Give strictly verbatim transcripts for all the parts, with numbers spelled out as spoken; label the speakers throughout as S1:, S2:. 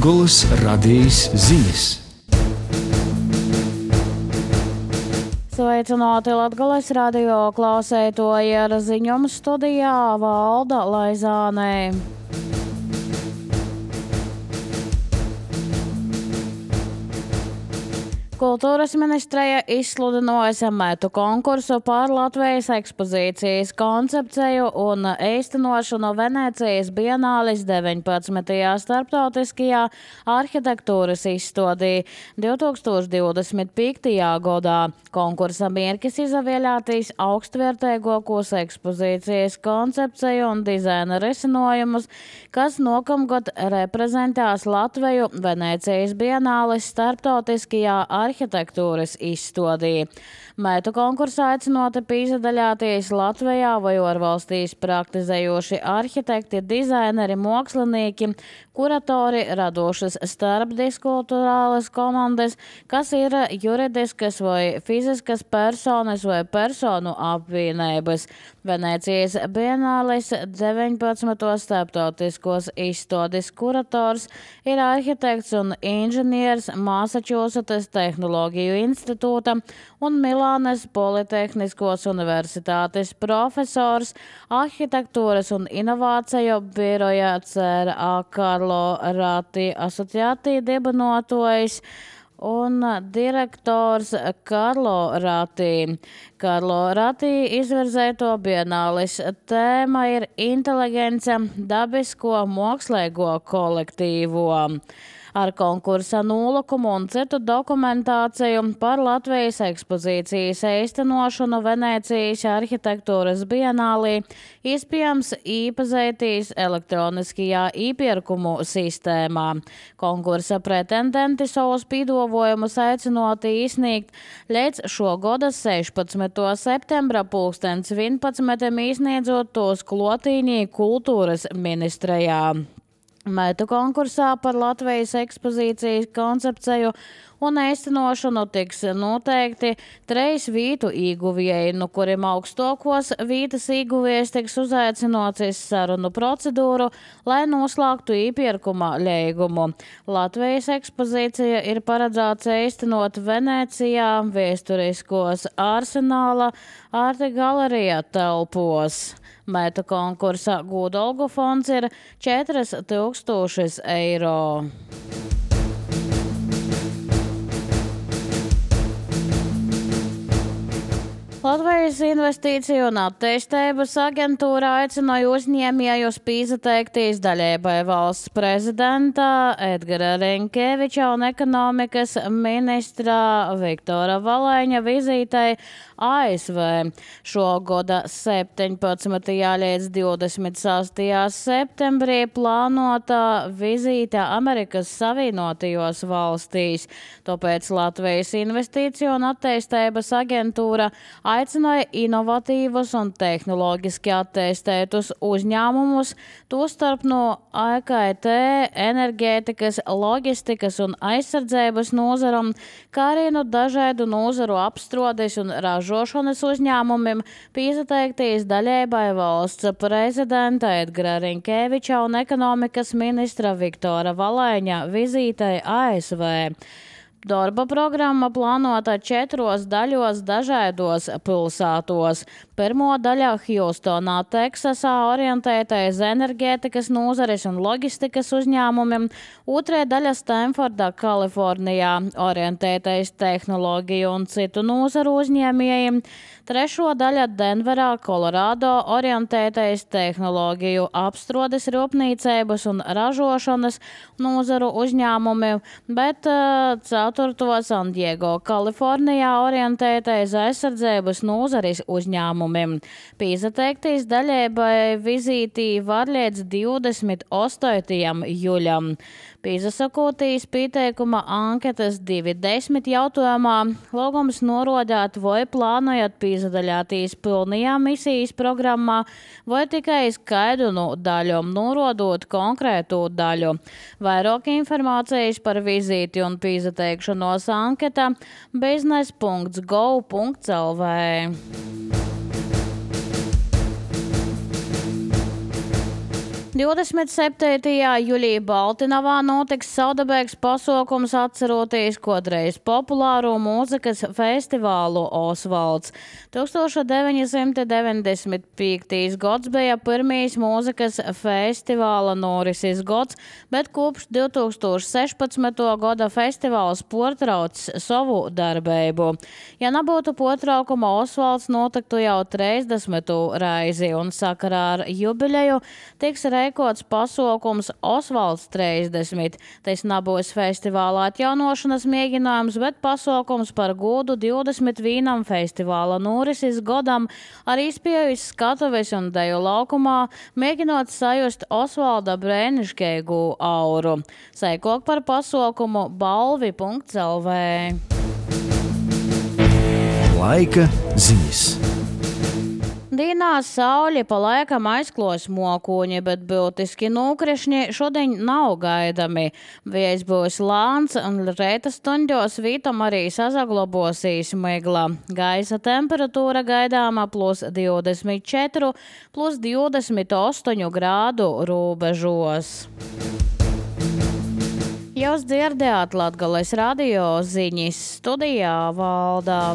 S1: Latgolas radijas ziņas.
S2: Sveicināti Latgolas radio klausētoji, ar ziņojumu studijā Valda Laizāne. Kultūras ministreja izsludināja metu konkursu par Latvijas ekspozīcijas koncepciju un īstenošanu Venecijas Bienāles deviņpadsmitajā starptautiskajā arhitektūras izstādē divtūkstoš divdesmit piektajā gadā. Konkursa mērķis izvēlēties augstvērtīgākos ekspozīcijas koncepciju un dizaina risinājumus, kas nākamgad reprezentēs Latviju Venecijas Bienāles starptautiskajā arhitektūras izstādē. Metu konkursā aicināti piedalīties Latvijā vai ārvalstīs praktizējoši arhitekti, dizaineri, mākslinieki, kuratori, radošas starpdiskulturālas komandas, kas ir juridiskas vai fiziskas personas vai personu apvienības. Venecijas Bienāles deviņpadsmito starptautiskos izstādes kurators ir arhitekts un inženieris Massachusetts Tehnoloģiju institūta un Milānes Politehniskos universitātes profesors, arhitektūras un inovāciju biroja C R A Carlo Ratti asociācija dibinātājs un direktors Carlo Ratti. Carlo Ratti izvirzēto Bienāles tēma ir inteligence dabisko mākslīgo kolektīvo. Ar konkursa nolikumu un citu dokumentāciju par Latvijas ekspozīcijas īstenošanu Venecijas arhitektūras bienālī iespējams iepazīties elektroniskajā iepirkumu sistēmā. Konkursa pretendenti savus piedāvājumus aicināti izsniegt līdz šo gada sešpadsmitā septembra pulkstens vienpadsmitam, izsniedzot tos klotīnī kultūras ministrejā. Metu konkursā par Latvijas ekspozīcijas koncepciju un īstenošanu tiks noteikti treis vītu īguvēji, no kuriem augstākos vītas īguvējs tiks uzaicināts uz sarunu procedūru, lai noslēgtu iepirkuma līgumu. Latvijas ekspozīcija ir paredzēts īstenot Venecijā vēsturiskos Arsenāla arte galerijā telpos. Metu konkursa gūdalgu fonds ir četri tūkstoši eiro. Latvijas investīciju un attīstības aģentūra aicināja uzņēmējus pieteikties dalībai valsts prezidenta Edgara Rinkeviča un ekonomikas ministra Viktora Valaiņa vizītei A S V. Šo gada septiņpadsmitajā līdz divdesmit sastajā septembrī plānota vizīte Amerikas Savienotajos valstīs. Tāpēc Latvijas investīciju un attīstības aģentūra aicināja inovatīvus un tehnoloģiski attīstētus uzņēmumus, tostarp no I K T, enerģētikas, loģistikas un aizsardzības nozaram, kā arī no dažādu nozaru apstrādes un ražošanas uzņēmumiem pieteikties dalībai valsts prezidenta Edgara Rinkeviča un ekonomikas ministra Viktora Valaiņa vizītei A S V. Darba programma plānota četros daļos dažādos pilsētos. Pirmo daļa Hjūstonā, Teksasā orientētais enerģētikas nozares un loģistikas uzņēmumiem, otrē daļa Stanfordā, Kalifornijā, orientētais tehnoloģiju un citu nozaru uzņēmējiem, trešo daļa Denverā, Kolorādo, orientētais tehnoloģiju apstrādes, rūpniecības un ražošanas nozaru uzņēmumiem, bet uh, ceturto San Diego, Kalifornijā, orientētais aizsardzības nozares uzņēmumiem. Pieteikties dalībai vizītī var līdz divdesmit astotajam jūļam. Piesakoties pieteikuma anketas divi desmit jautājumā, lūgums norādīt, vai plānojat piedalīties pilnajā misijas programmā vai tikai skaidru daļu, norādot konkrētu daļu. Vairāk informācijas par vizīti un pieteikšanos anketā biznes punkts gov punkts L V. divdesmit septītajā jūlijā Baltinavā notiks savdabīgs pasākums atceroties kādreiz populāro mūzikas festivālu Osvalds. tūkstoš deviņi simti deviņdesmit piektais gads bija pirmīs mūzikas festivāla norises gads, bet kopš divtūkstoš sešpadsmitā gada festivāls portrauc savu darbību. Ja nebūtu potraukuma, Osvalds notiktu jau trīsdesmito reizi, un sakarā ar jubileju tiks reikots pasākums Osvalds trīsdesmit. Tas nebūs festivālā atjaunošanas mēģinājums, bet pasākums par godu divdesmit vienam festivāla norises godam ar izpējas skatuves un deju laukumā, mēģinot sajust Osvalda brēniškīgu auru. Seikok par pasākumu balvi punkts el vē.
S1: Laika ziņas.
S2: Dīnā saule pa laikam aizklos mokuņi, bet būtiski nūkrišņi šodien nav gaidami. Vējs būs lāns un rēta stundos vītam arī sazaglobosīs migla. Gaisa temperatūra gaidāma plus divdesmit četri, plus divdesmit astoņi grādu robežos. Jūs dzirdējāt Latgales radio ziņas, studijā Valdā.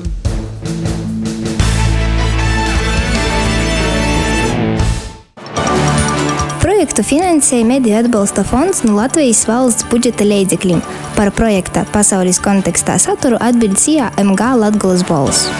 S3: Projektu finansēja Mediju atbalsta fonds no Latvijas valsts budžeta līdzekļiem. Par projekta pasaules kontekstā saturu atbild C A M G Latgales balss.